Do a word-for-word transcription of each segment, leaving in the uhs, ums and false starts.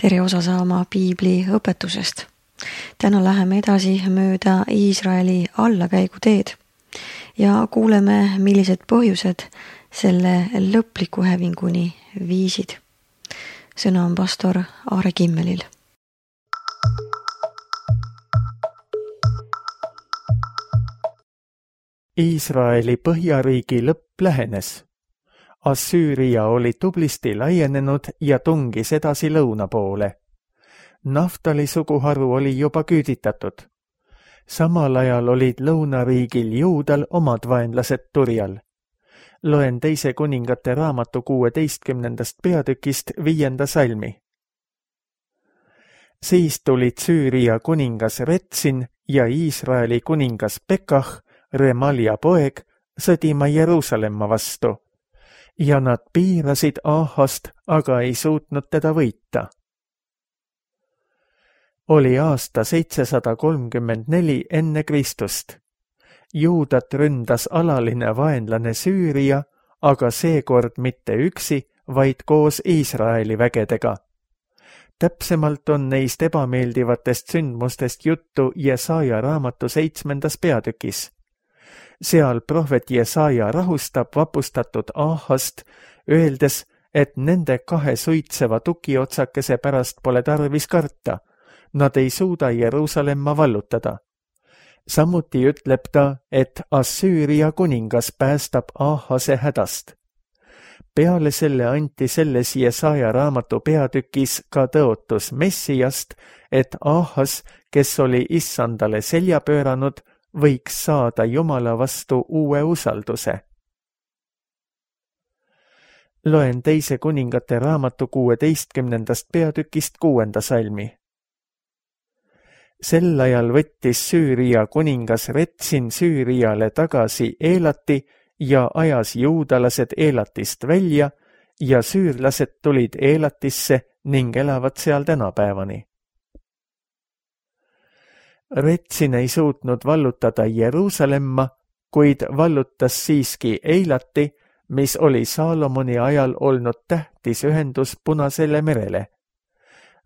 tere osa saama piibli õpetusest. Täna läheme edasi mööda Iisraeli allakäigu teed ja kuuleme, millised põhjused selle lõpliku hävinguni viisid. Sõna on pastor Aare Kimmelil. Iisraeli põhjariigi lõpp lähenes. Assüüria oli tublisti laienenud ja tungis edasi lõuna poole. Naftali suguharu oli juba küüditatud. Samal ajal olid lõunariigil Juudal omad vaenlased turjal. Loen teise kuningate raamatu kuueteistkümnendast peatükist viienda salmi. Siis tulid Süüria kuningas Retsin ja Iisraeli kuningas Pekah, Remalia poeg, sõdima Jeruusalemma vastu. Ja nad piirasid Ahast, aga ei suutnud teda võita. Oli aasta seitsesada kolmkümmend neli enne Kristust. Juudat ründas alaline vaenlane Süüria, aga seekord mitte üksi, vaid koos Iisraeli vägedega. Täpsemalt on neist ebameeldivatest sündmustest juttu Jesaja raamatu seitsmendas peatükis. Seal prohvet Jesaja rahustab vapustatud Ahast, öeldes, et nende kahe suitseva tukiotsakese pärast pole tarvis karta. Nad ei suuda Jeruusalemma vallutada. Samuti ütleb ta, et Assüüria kuningas päästab Ahase hädast. Peale selle anti selles Jesaja raamatu peatükis ka tõotus Messiast, et Ahas, kes oli issandale selja pööranud, võiks saada Jumala vastu uue usalduse. Loen teise kuningate raamatu kuueteistkümnendast peatükist kuuenda salmi. Sel ajal võttis Süüria kuningas Retsin Süüriale tagasi Eelati ja ajas juudalased Eelatist välja ja süürlased tulid Eelatisse ning elavad seal tänapäevani. Retsin ei suutnud vallutada Jeruusalemma, kuid vallutas siiski Eilati, mis oli Saalomoni ajal olnud tähtis ühendus Punasele merele.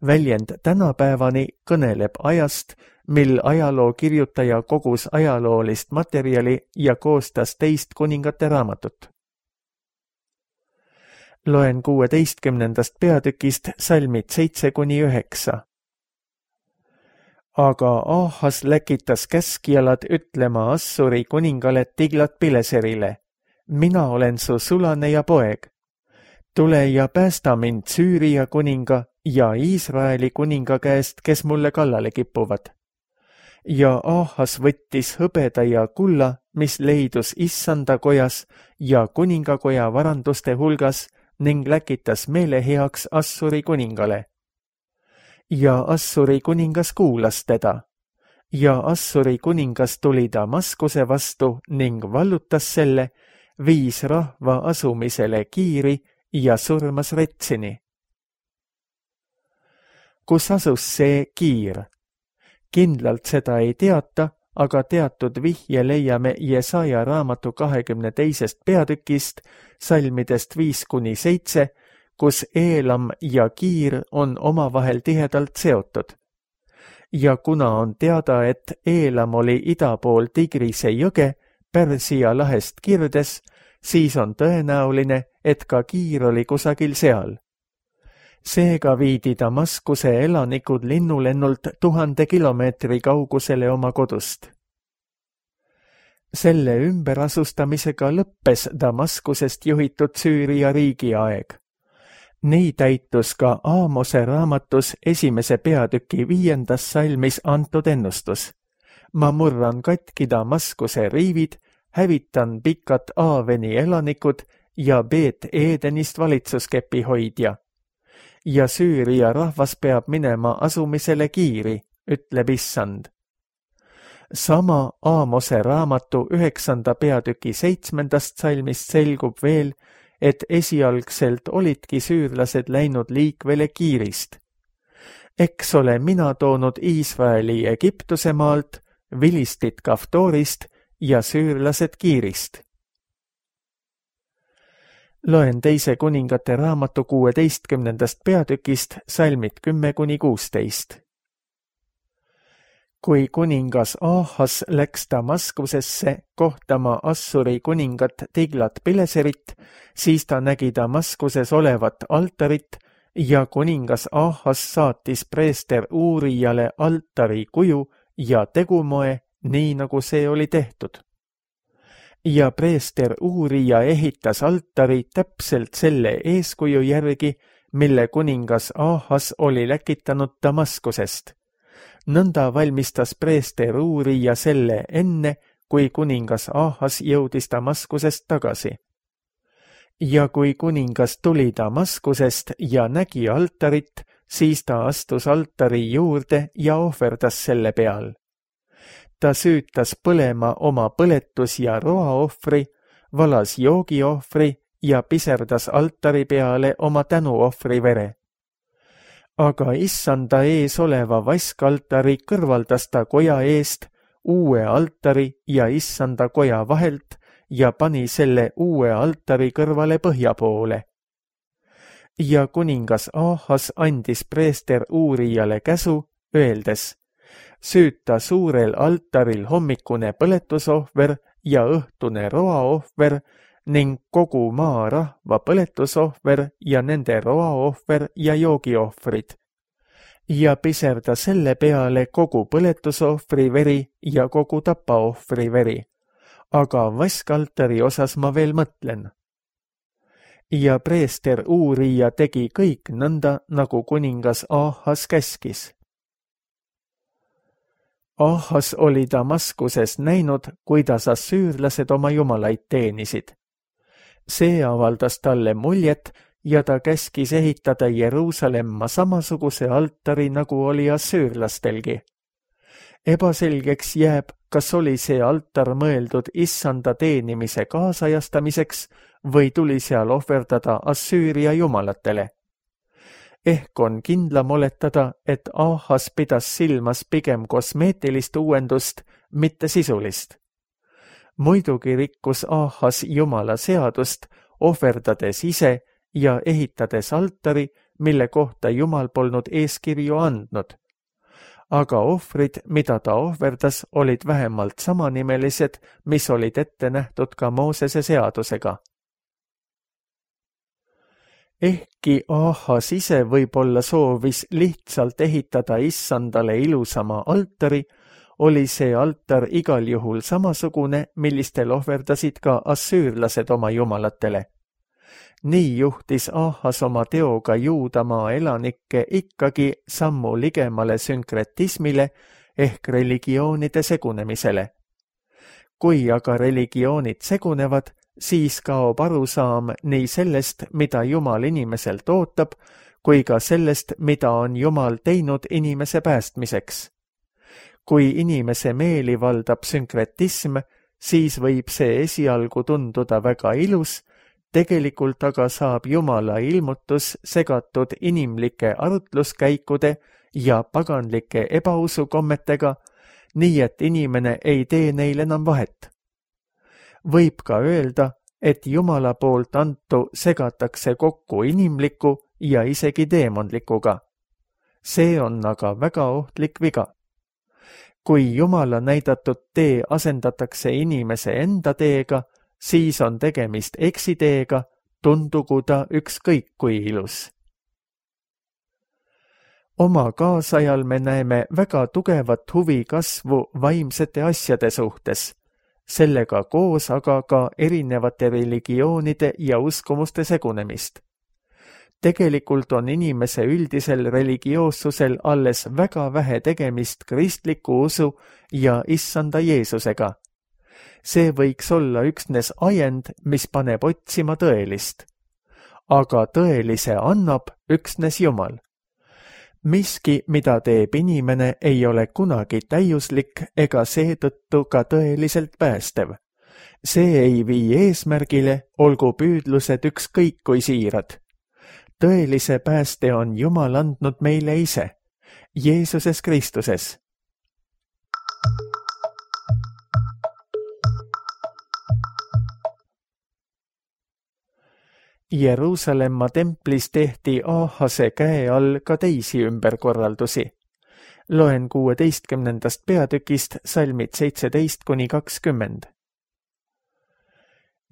Väljend tänapäevani kõneleb ajast, mil ajaloo kirjutaja kogus ajaloolist materjali ja koostas teist kuningate raamatut. Loen kuueteistkümnendast peatükist salmid seitse kuni üheksa. Aga Ahas läkitas käskjalad ütlema Assuri kuningale Tiglat-Pileserile, mina olen su sulane ja poeg. Tule ja päästa mind Süüria kuninga ja Iisraeli kuninga käest, kes mulle kallale kipuvad. Ja Ahas võttis hõbeda ja kulla, mis leidus issanda kojas ja kuningakoja varanduste hulgas ning läkitas meeleheaks Assuri kuningale. Ja Assuri kuningas kuulas teda. Ja Assuri kuningas tuli Damaskuse vastu ning vallutas selle, viis rahva asumisele Kiiri ja surmas Retsini. Kus asus see Kiir? Kindlalt seda ei teata, aga teatud vihje leiame Jesaja raamatu kahekümne teisest peatükist, salmidest viis kuni seitse, kus Eelam ja Kiir on omavahel tihedalt seotud. Ja kuna on teada, et Eelam oli ida pool Tigrise jõge, Pärsia lahest kirdes, siis on tõenäoline, et ka Kiir oli kusagil seal. Seega viidi Damaskuse elanikud linnulennult tuhande kilomeetri kaugusele oma kodust. Selle ümberasustamisega lõppes Damaskusest juhitud Süüria riigi aeg. Nii täitus ka Aamose raamatus esimese peatüki viiendas salmis antud ennustus. Ma murran katki Damaskuse riivid, hävitan pikad Aaveni elanikud ja Beet Edenist valitsuskepi hoidja. Ja Süüria rahvas peab minema asumisele Kiiri, ütleb issand. Sama Aamose raamatu üheksanda peatüki seitsmendast salmist selgub veel, et esialgselt olidki süürlased läinud liikvele Kiirist. Eks ole mina toonud Iisraeli Egiptuse maalt, Vilistit Kaftorist ja süürlased Kiirist. Loen teise kuningate raamatu kuueteistkümnendast peatükist salmid kümme kuni kuusteist. Kui kuningas Ahas läks Damaskusesse kohtama Assuri kuningat Tiglat-Pileserit, siis ta nägi Damaskuses olevat altarit ja kuningas Ahas saatis preester Uurijale altari kuju ja tegumoe, nii nagu see oli tehtud. Ja preester Uurija ehitas altari täpselt selle eeskuju järgi, mille kuningas Ahas oli läkitanud Damaskusest. Nõnda valmistas preester Uurija selle enne, kui kuningas Ahas jõudis Damaskusest tagasi. Ja kui kuningas tuli Damaskusest ja nägi altarit, siis ta astus altari juurde ja ohverdas selle peal. Ta süütas põlema oma põletus- ja roaohvri, valas joogiohvri ja piserdas altari peale oma tänuohvri vere. Aga issanda ees oleva vaskaltari kõrvaldas ta koja eest, uue altari ja issanda koja vahelt ja pani selle uue altari kõrvale põhja poole. Ja kuningas Ahas andis preester Uurijale käsu, öeldes, süüta suurel altaril hommikune põletusohver ja õhtune roaohver ning kogu maa rahva põletusohver ja nende roaohver ja joogiohvrid. Ja piserda selle peale kogu põletusohvri veri ja kogu tapaohvri veri. Aga vaskaltari osas ma veel mõtlen. Ja preester Uurija tegi kõik nõnda, nagu kuningas Ahas käskis. Ahas oli Damaskuses näinud, kuidas assüürlased oma jumalaid teenisid. See avaldas talle muljet ja ta käskis ehitada Jeruusalemma samasuguse altari, nagu oli assüürlastelgi. Ebaselgeks jääb, kas oli see altar mõeldud issanda teenimise kaasajastamiseks või tuli seal ohverdada Assüüria jumalatele. Ehk on kindlam oletada, et Ahas pidas silmas pigem kosmeetilist uuendust, mitte sisulist. Muidugi rikkus Ahas jumala seadust, ohverdades ise ja ehitades altari, mille kohta jumal polnud eeskirju andnud. Aga ohvrid, mida ta ohverdas, olid vähemalt samanimelised, mis olid ette nähtud ka Moosese seadusega. Ehkki Ahas ise võib-olla soovis lihtsalt ehitada issandale ilusama altari, oli see altar igal juhul samasugune, millistel ohverdasid ka assüürlased oma jumalatele. Nii juhtis Ahas oma teoga Juudamaa elanikke ikkagi sammu ligemale sünkretismile ehk religioonide segunemisele. Kui aga religioonid segunevad, siis kaob arusaam nii sellest, mida Jumal inimeselt ootab, kui ka sellest, mida on Jumal teinud inimese päästmiseks. Kui inimese meeli valdab sünkretism, siis võib see esialgu tunduda väga ilus, tegelikult aga saab Jumala ilmutus segatud inimlike arutluskäikude ja paganlike ebausukommetega, nii et inimene ei tee neil enam vahet. Võib ka öelda, et Jumala poolt antu segatakse kokku inimliku ja isegi teemonlikuga. See on aga väga ohtlik viga. Kui Jumala näidatud tee asendatakse inimese enda teega, siis on tegemist eksiteega, tundugu ta ükskõik kui ilus. Oma kaasajal me näeme väga tugevat huvi kasvu vaimsete asjade suhtes, sellega koos aga ka erinevate religioonide ja uskumuste segunemist. Tegelikult on inimese üldisel religioossusel alles väga vähe tegemist kristliku usu ja issanda Jeesusega. See võiks olla üksnes ajend, mis paneb otsima tõelist. Aga tõelise annab üksnes Jumal. Miski, mida teeb inimene, ei ole kunagi täiuslik ega seetõttu ka tõeliselt päästev. See ei vii eesmärgile, olgu püüdlused ükskõik kui siirad. Tõelise pääste on Jumal andnud meile ise, Jeesuses Kristuses. Jeruusalemma templis tehti Aahase käe all ka teisi ümberkorraldusi. Loen kuueteistkümnendast peatükist salmid seitseteist kuni kakskümmend.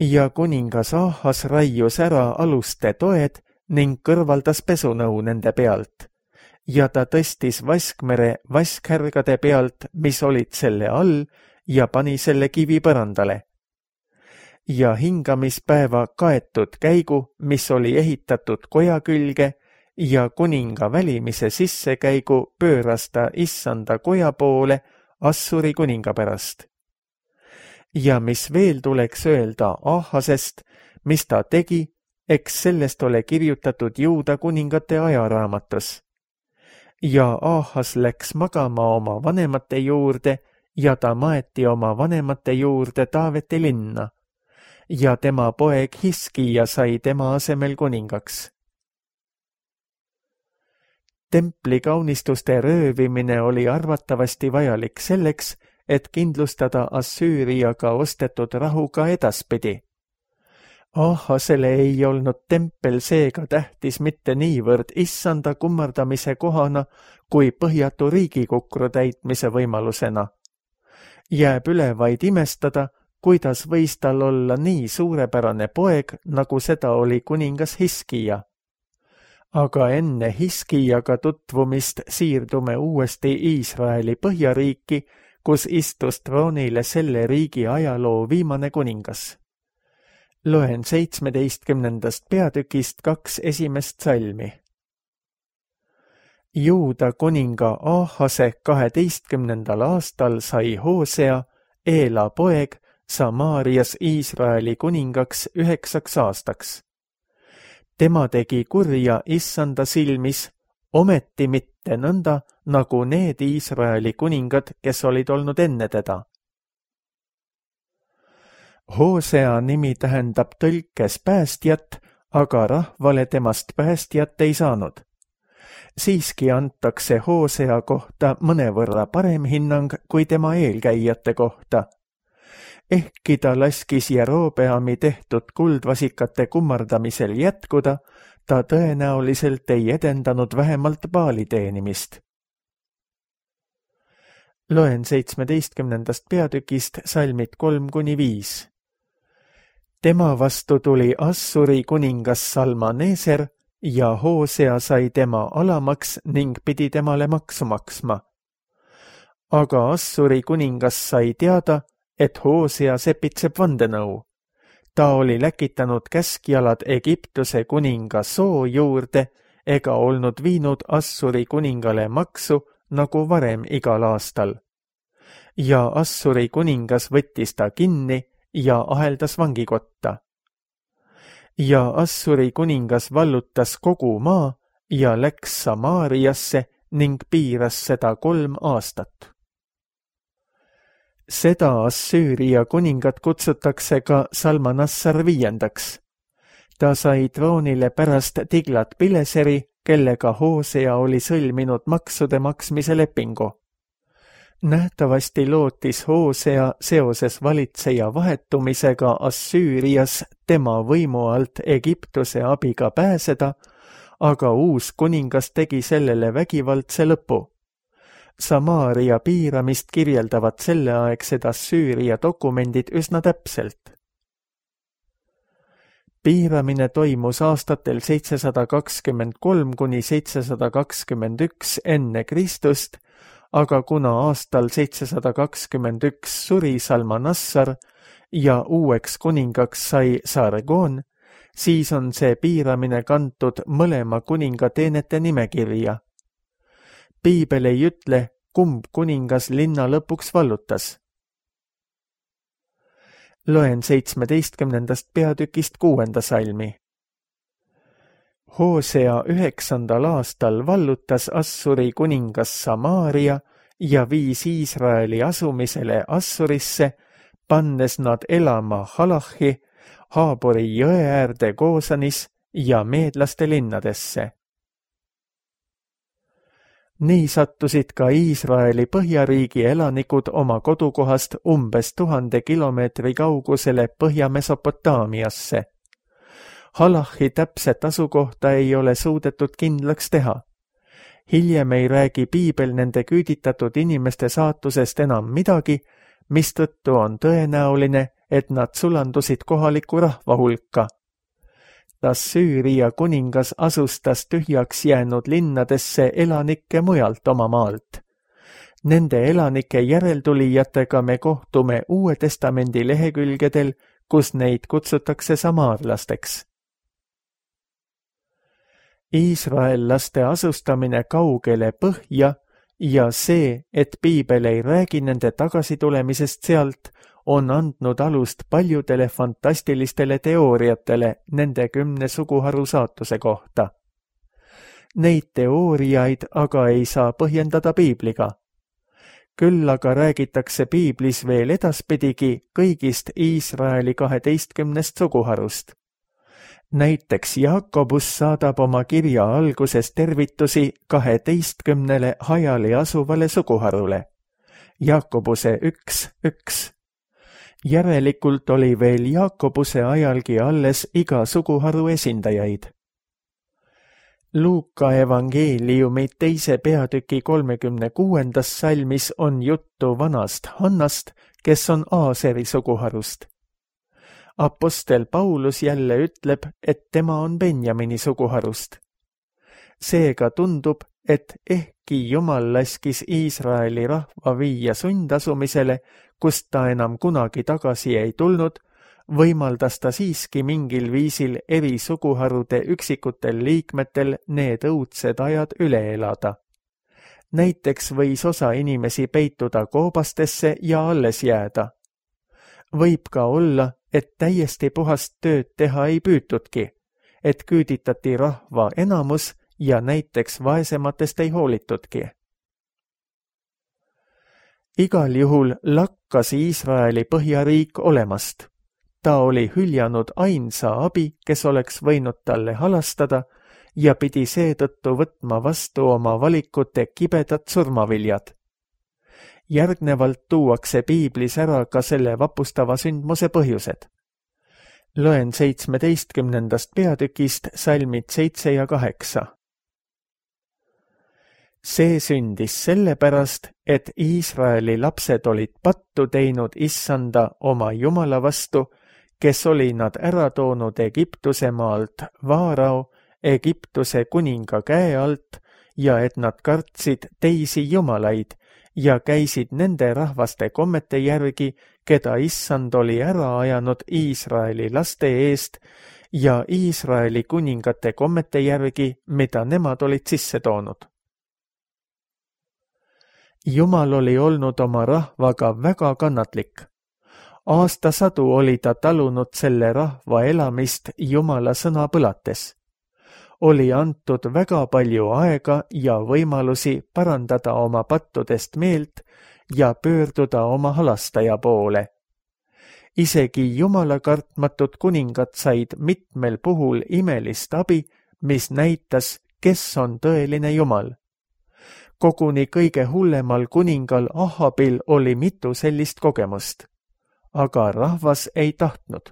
Ja kuningas Aahas raius ära aluste toed ning kõrvaldas pesunõu nende pealt. Ja ta tõstis vaskmere vaskhärgade pealt, mis olid selle all, ja pani selle kivi põrandale. Ja hingamispäeva kaetud käigu, mis oli ehitatud koja külge, ja kuninga välimise sissekäigu pööras ta issanda koja poole Assuri kuninga pärast. Ja mis veel tuleks öelda Aahasest, mis ta tegi, eks sellest ole kirjutatud Juuda kuningate ajaraamatus. Ja Aahas läks magama oma vanemate juurde ja ta maeti oma vanemate juurde Taaveti linna. Ja tema poeg Hiskija sai tema asemel kuningaks. Templi kaunistuste röövimine oli arvatavasti vajalik selleks, et kindlustada Assüüriaga ostetud rahu ka edaspidi. Aahasele ei olnud tempel seega tähtis mitte niivõrd issanda kummardamise kohana kui põhjatu riigikukru täitmise võimalusena. Jääb üle vaid imestada, kuidas võis tal olla nii suurepärane poeg, nagu seda oli kuningas Hiskija. Aga enne Hiskijaga tutvumist siirdume uuesti Iisraeli põhjariiki, kus istus troonile selle riigi ajaloo viimane kuningas. Loen seitsmeteistkümnendast peatükist kaks esimest salmi. Juuda kuninga Aahase kaheteistkümnendal aastal sai Hoosea, Eela poeg, Samaarias Iisraeli kuningaks üheksaks aastaks. Tema tegi kurja issanda silmis, ometi mitte nõnda, nagu need Iisraeli kuningad, kes olid olnud enne teda. Hoosea nimi tähendab tõlkes päästjat, aga rahvale temast päästjat ei saanud. Siiski antakse Hoosea kohta mõnevõrra parem hinnang kui tema eelkäijate kohta. Ehkki ta laskis Jerobeami tehtud kuldvasikate kummardamisel jätkuda, ta tõenäoliselt ei edendanud vähemalt Baali teenimist. Loen seitsmeteistkümnendast peatükist salmid kolm kuni viis. Tema vastu tuli Assuri kuningas Salmaneser ja Hoosea sai tema alamaks ning pidi temale maksu maksma. Aga Assuri kuningas sai teada, et Hoosea sepitseb vandenõu. Ta oli läkitanud käskjalad Egiptuse kuninga Soo juurde ega olnud viinud Assuri kuningale maksu nagu varem igal aastal. Ja Assuri kuningas võttis ta kinni ja aheldas vangikotta. Ja Assuri kuningas vallutas kogu maa ja läks Samaariasse ning piiras seda kolm aastat. Seda Assüüria kuningat kutsutakse ka Salmanassar viiendaks. Ta sai troonile pärast Tiglat Pileseri, kellega Hoosea oli sõlminud maksude maksmise lepingu. Nähtavasti lootis Hoosea seoses valitseja vahetumisega Assüürias tema võimu alt Egiptuse abiga pääseda, aga uus kuningas tegi sellele vägivaldse lõpu. Samaaria piiramist kirjeldavad selleaegsed Assüüria dokumendid üsna täpselt. Piiramine toimus aastatel seitsesada kakskümmend kolm kuni seitsesada kakskümmend üks enne Kristust, aga kuna aastal seitsesada kakskümmend üks suri Salmanassar ja uueks kuningaks sai Sargon, siis on see piiramine kantud mõlema kuninga teenete nimekirja. Piibel ei ütle, kumb kuningas linna lõpuks vallutas. Loen seitsmeteistkümnendast peatükist kuuenda salmi. Hoosea üheksandal aastal vallutas Assuri kuningas Samaaria ja viis Iisraeli asumisele Assurisse, pannes nad elama Halachi, Haabori jõe äärde Goosanis ja meedlaste linnadesse. Nii sattusid ka Iisraeli põhjariigi elanikud oma kodukohast umbes tuhande kilomeetri kaugusele Põhja-Mesopotaamiasse. Halachi täpset asukohta ei ole suudetud kindlaks teha. Hiljem ei räägi piibel nende küüditatud inimeste saatusest enam midagi, mistõttu on tõenäoline, et nad sulandusid kohaliku rahva hulka. Assüüria kuningas asustas tühjaks jäänud linnadesse elanikke mujalt oma maalt. Nende elanike järeltulijatega me kohtume Uue Testamendi lehekülgedel, kus neid kutsutakse samaarlasteks. Iisraellaste asustamine kaugele põhja ja see, et piibel ei räägi nende tagasitulemisest sealt, on andnud alust paljudele fantastilistele teooriatele nende kümne suguharu saatuse kohta. Neid teooriaid aga ei saa põhjendada piibliga. Küll aga räägitakse piiblis veel edaspidigi kõigist Iisraeli kaheteistkümnest suguharust. Näiteks Jaakobus saadab oma kirja alguses tervitusi kaheteistkümnele hajali asuvale suguharule. Jaakobuse üks, üks. Järelikult oli veel Jaakobuse ajalgi alles iga suguharu esindajaid. Luuka evangeeliumi teise peatüki kolmekümne kuuendas salmis on juttu vanast Hannast, kes on Aaseri suguharust. Apostel Paulus jälle ütleb, et tema on Benjamini suguharust. Seega tundub, et ehkki Jumal laskis Iisraeli rahva viia sundasumisele, kust ta enam kunagi tagasi ei tulnud, võimaldas ta siiski mingil viisil eri suguharude üksikutel liikmetel need õudsed ajad üle elada. Näiteks võis osa inimesi peituda koobastesse ja alles jääda. Võib ka olla, et täiesti puhast tööd teha ei püütudki, et küüditati rahva enamus ja näiteks vaesematest ei hoolitudki. Igal juhul lakkas Iisraeli põhjariik olemast. Ta oli hüljanud ainsa abi, kes oleks võinud talle halastada ja pidi seetõttu võtma vastu oma valikute kibedad surmaviljad. Järgnevalt tuuakse piiblis ära ka selle vapustava sündmuse põhjused. Loen seitsmeteistkümnendast peatükist salmid seitse ja kaheksa. See sündis sellepärast, et Iisraeli lapsed olid pattu teinud issanda oma Jumala vastu, kes oli nad ära toonud Egiptuse maalt Vaarao, Egiptuse kuninga käe alt, ja et nad kartsid teisi jumalaid ja käisid nende rahvaste kommete järgi, keda issand oli ära ajanud Iisraeli laste eest, ja Iisraeli kuningate kommete järgi, mida nemad olid sisse toonud. Jumal oli olnud oma rahvaga väga kannatlik. Aastasadu oli ta talunud selle rahva elamist Jumala sõna põlates. Oli antud väga palju aega ja võimalusi parandada oma pattudest meelt ja pöörduda oma halastaja poole. Isegi Jumala kartmatud kuningad said mitmel puhul imelist abi, mis näitas, kes on tõeline Jumal. Koguni kõige hullemal kuningal Ahabil oli mitu sellist kogemust. Aga rahvas ei tahtnud.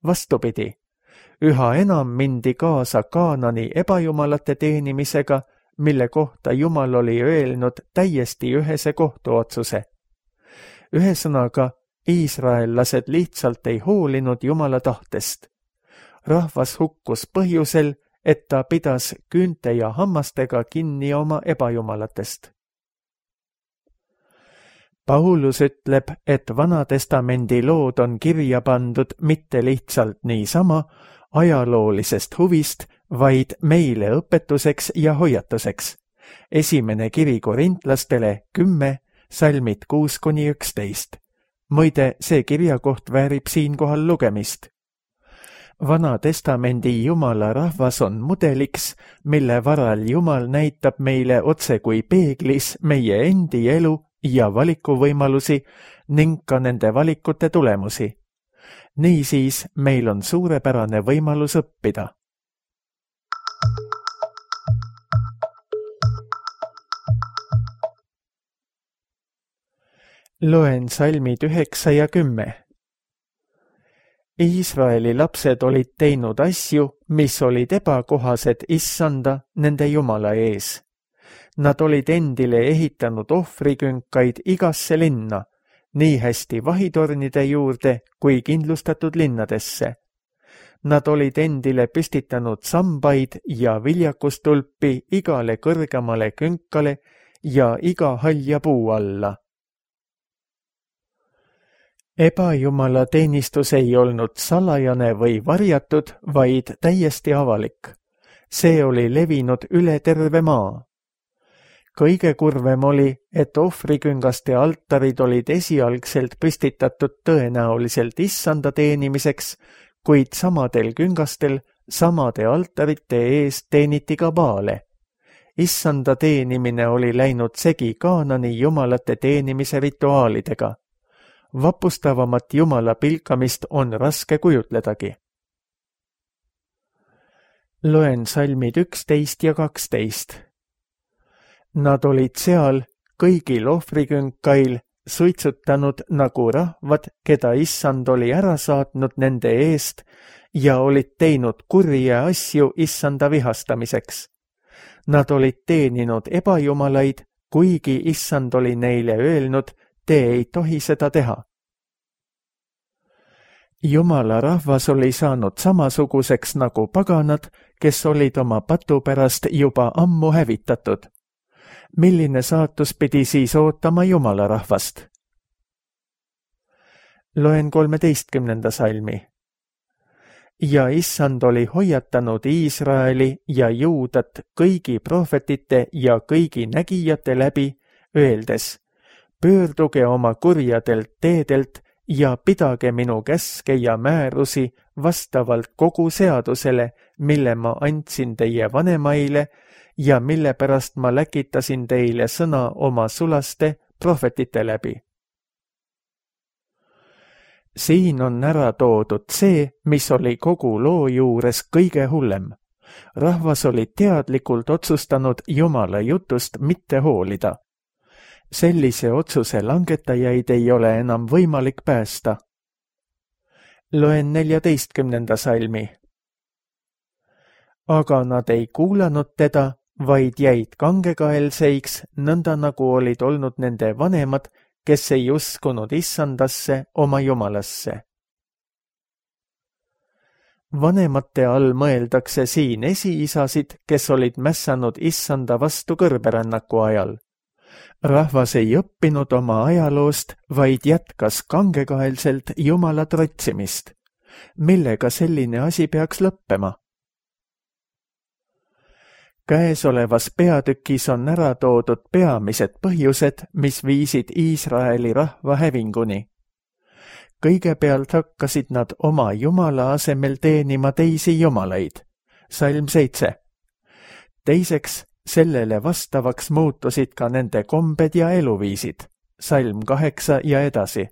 Vastupidi, üha enam mindi kaasa Kaanani ebajumalate teenimisega, mille kohta Jumal oli öelnud täiesti ühese kohtuotsuse. Ühesõnaga, iisraellased lihtsalt ei hoolinud Jumala tahtest. Rahvas hukkus põhjusel, et ta pidas küünte ja hammastega kinni oma ebajumalatest. Paulus ütleb, et Vanatestamendi lood on kirja pandud mitte lihtsalt niisama ajaloolisest huvist, vaid meile õpetuseks ja hoiatuseks. Esimene kiri korintlastele kümme, salmid kuus kuni üksteist. Muide, see kirjakoht väärib siinkohal lugemist. Vanatestamendi Jumala rahvas on mudeliks, mille varal Jumal näitab meile otse kui peeglis meie endi elu ja valikuvõimalusi ning ka nende valikute tulemusi. Niisiis, meil on suurepärane võimalus õppida. Loen salmid üheksa ja kümme. Iisraeli lapsed olid teinud asju, mis olid ebakohased issanda nende Jumala ees. Nad olid endile ehitanud ohvrikünkaid igasse linna, nii hästi vahitornide juurde kui kindlustatud linnadesse. Nad olid endile püstitanud sambaid ja viljakustulpi igale kõrgemale künkale ja iga halja puu alla. Ebajumala teenistus ei olnud salajane või varjatud, vaid täiesti avalik. See oli levinud üle terve maa. Kõige kurvem oli, et ohvriküngaste altarid olid esialgselt püstitatud tõenäoliselt issanda teenimiseks, kuid samadel küngastel samade altarite ees teeniti ka baale. Issanda teenimine oli läinud segi Kaanani jumalate teenimise rituaalidega. Vapustavamat jumala pilkamist on raske kujutledagi. Loen salmid üksteist ja kaksteist. Nad olid seal kõigil ohvrikünkail suitsutanud nagu rahvad, keda issand oli ära saatnud nende eest ja olid teinud kurje asju issanda vihastamiseks. Nad olid teeninud ebajumalaid, kuigi issand oli neile öelnud, te ei tohi seda teha. Jumala rahvas oli saanud samasuguseks nagu paganad, kes olid oma patu pärast juba ammu hävitatud. Milline saatus pidi siis ootama Jumala rahvast? Loen kolmeteistkümnenda salmi. Ja issand oli hoiatanud Iisraeli ja Juudat kõigi prohvetite ja kõigi nägijate läbi, öeldes, pöörduge oma kurjadelt teedelt ja pidage minu käske ja määrusi vastavalt kogu seadusele, mille ma andsin teie vanemaile ja mille pärast ma läkitasin teile sõna oma sulaste prohvetite läbi. Siin on ära toodud see, mis oli kogu loo juures kõige hullem. Rahvas oli teadlikult otsustanud Jumala jutust mitte hoolida. Sellise otsuse langetajaid ei ole enam võimalik päästa. Loen neljateistkümnenda salmi. Aga nad ei kuulanud teda, vaid jäid kangekaelseiks, nõnda nagu olid olnud nende vanemad, kes ei uskunud issandasse oma Jumalasse. Vanemate all mõeldakse siin esiisasid, kes olid mässanud issanda vastu kõrberännaku ajal. Rahvas ei õppinud oma ajaloost, vaid jätkas kangekaelselt Jumala trotsimist. Millega selline asi peaks lõppema? Käesolevas peatükis on ära toodud peamised põhjused, mis viisid Iisraeli rahva hävinguni. Kõigepealt hakkasid nad oma Jumala asemel teenima teisi jumalaid. Salm seitse. Teiseks, sellele vastavaks muutusid ka nende kombed ja eluviisid. Salm kaheksa ja edasi.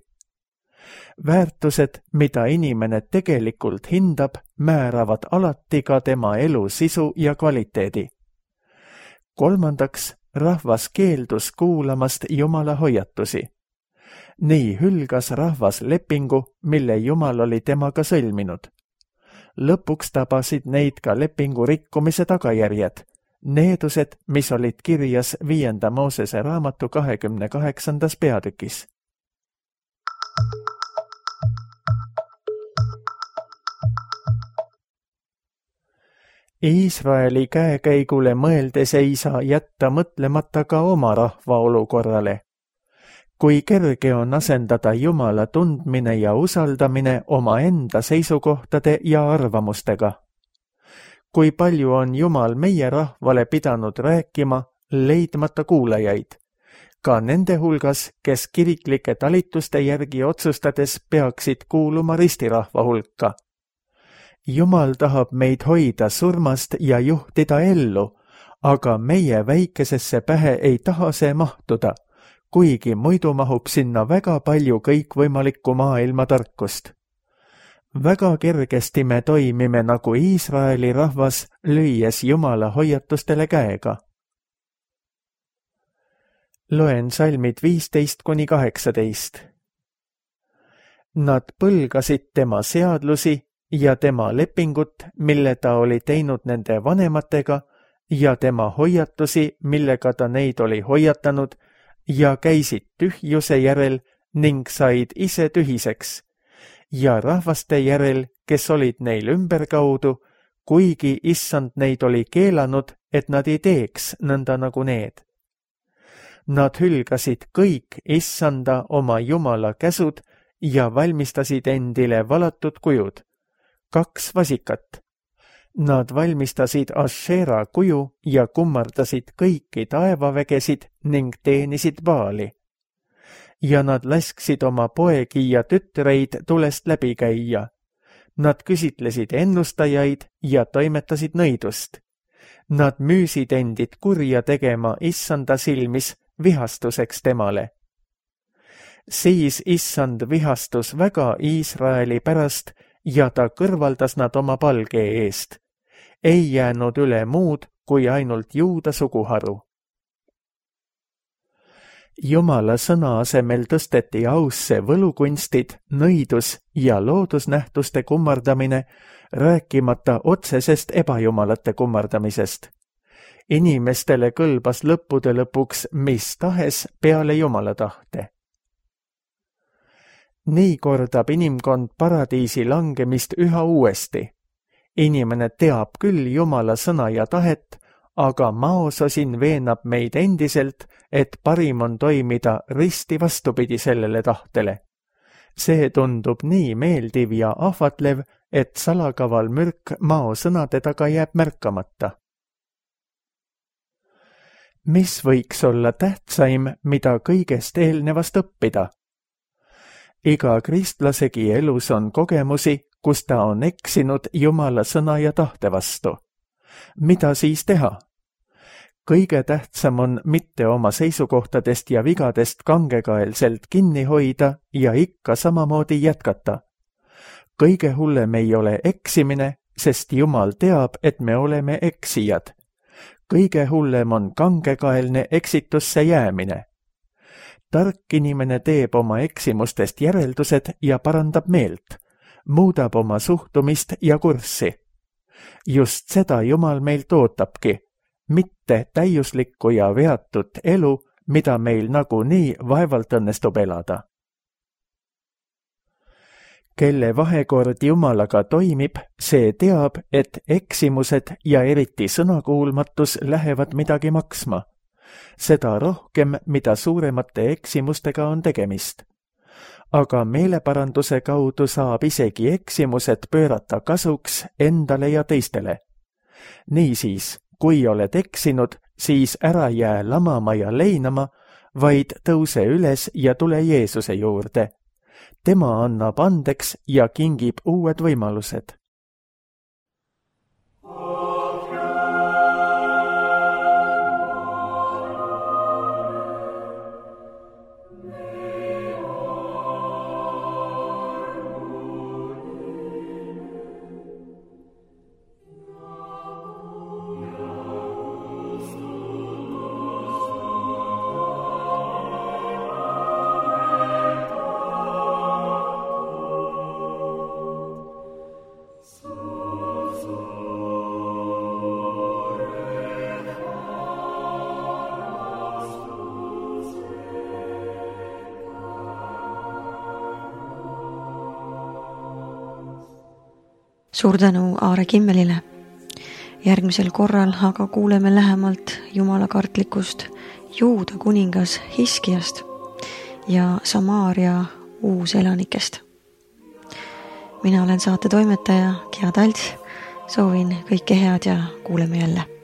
Väärtused, mida inimene tegelikult hindab, määravad alati ka tema elu sisu ja kvaliteedi. Kolmandaks, rahvas keeldus kuulamast Jumala hoiatusi. Nii hülgas rahvas lepingu, mille Jumal oli temaga sõlminud. Lõpuks tabasid neid ka lepingu rikkumise tagajärjed, needused, mis olid kirjas viienda Moosese raamatu kahekümne kaheksandas peatükis. Iisraeli käekäigule mõeldes ei saa jätta mõtlemata ka oma rahva olukorrale. Kui kerge on asendada Jumala tundmine ja usaldamine oma enda seisukohtade ja arvamustega. Kui palju on Jumal meie rahvale pidanud rääkima, leidmata kuulajaid. Ka nende hulgas, kes kiriklike talituste järgi otsustades peaksid kuuluma ristirahva hulka. Jumal tahab meid hoida surmast ja juhtida ellu, aga meie väikesesse pähe ei taha see mahtuda, kuigi muidu mahub sinna väga palju kõikvõimalikku maailma tarkust. Väga kergesti me toimime nagu Iisraeli rahvas, lüües Jumala hoiatustele käega. Loen salmid viisteist kuni kaheksateist. Nad põlgasid tema seadlusi ja tema lepingut, mille ta oli teinud nende vanematega, ja tema hoiatusi, millega ta neid oli hoiatanud, ja käisid tühjuse järel ning said ise tühiseks, ja rahvaste järel, kes olid neil ümberkaudu, kuigi issand neid oli keelanud, et nad ei teeks nõnda nagu need. Nad hülgasid kõik issanda oma Jumala käsud ja valmistasid endile valatud kujud, kaks vasikat. Nad valmistasid Ashera kuju ja kummardasid kõiki taevavägesid ning teenisid Baali. Ja nad lasksid oma poegi ja tütreid tulest läbi käia. Nad küsitlesid ennustajaid ja toimetasid nõidust. Nad müüsid endid kurja tegema issanda silmis vihastuseks temale. Siis issand vihastus väga Iisraeli pärast ja ta kõrvaldas nad oma palge eest. Ei jäänud üle muud kui ainult Juuda suguharu. Jumala sõna asemel tõsteti ausse võlukunstid, nõidus ja loodusnähtuste kummardamine, rääkimata otsesest ebajumalate kummardamisest. Inimestele kõlbas lõppude lõpuks mis tahes peale Jumala tahte. Nii kordab inimkond paradiisi langemist üha uuesti. Inimene teab küll Jumala sõna ja tahet, aga maososin veenab meid endiselt, et parim on toimida risti vastupidi sellele tahtele. See tundub nii meeldiv ja ahvatlev, et salakaval mürk maosõnade taga jääb märkamata. Mis võiks olla tähtsaim, mida kõigest eelnevast õppida? Iga kristlasegi elus on kogemusi, kus ta on eksinud Jumala sõna ja tahte vastu. Mida siis teha? Kõige tähtsam on mitte oma seisukohtadest ja vigadest kangekaelselt kinni hoida ja ikka samamoodi jätkata. Kõige hullem ei ole eksimine, sest Jumal teab, et me oleme eksijad. Kõige hullem on kangekaelne eksitusse jäämine. Tark inimene teeb oma eksimustest järeldused ja parandab meelt, muudab oma suhtumist ja kurssi. Just seda Jumal meilt ootabki, mitte täiuslikku ja veatut elu, mida meil nagunii vaevalt õnnestub elada. Kelle vahekord Jumalaga toimib, see teab, et eksimused ja eriti sõnakuulmatus lähevad midagi maksma. Seda rohkem, mida suuremate eksimustega on tegemist. Aga meeleparanduse kaudu saab isegi eksimused pöörata kasuks endale ja teistele. Niisiis, kui oled eksinud, siis ära jää lamama ja leinama, vaid tõuse üles ja tule Jeesuse juurde. Tema annab andeks ja kingib uued võimalused. Suur tänu Aare Kimmelile. Järgmisel korral aga kuuleme lähemalt jumalakartlikust Juuda kuningas Hiskiast ja Samaaria uuselanikest. Mina olen saate toimetaja Gea Talts, soovin kõike head ja kuuleme jälle.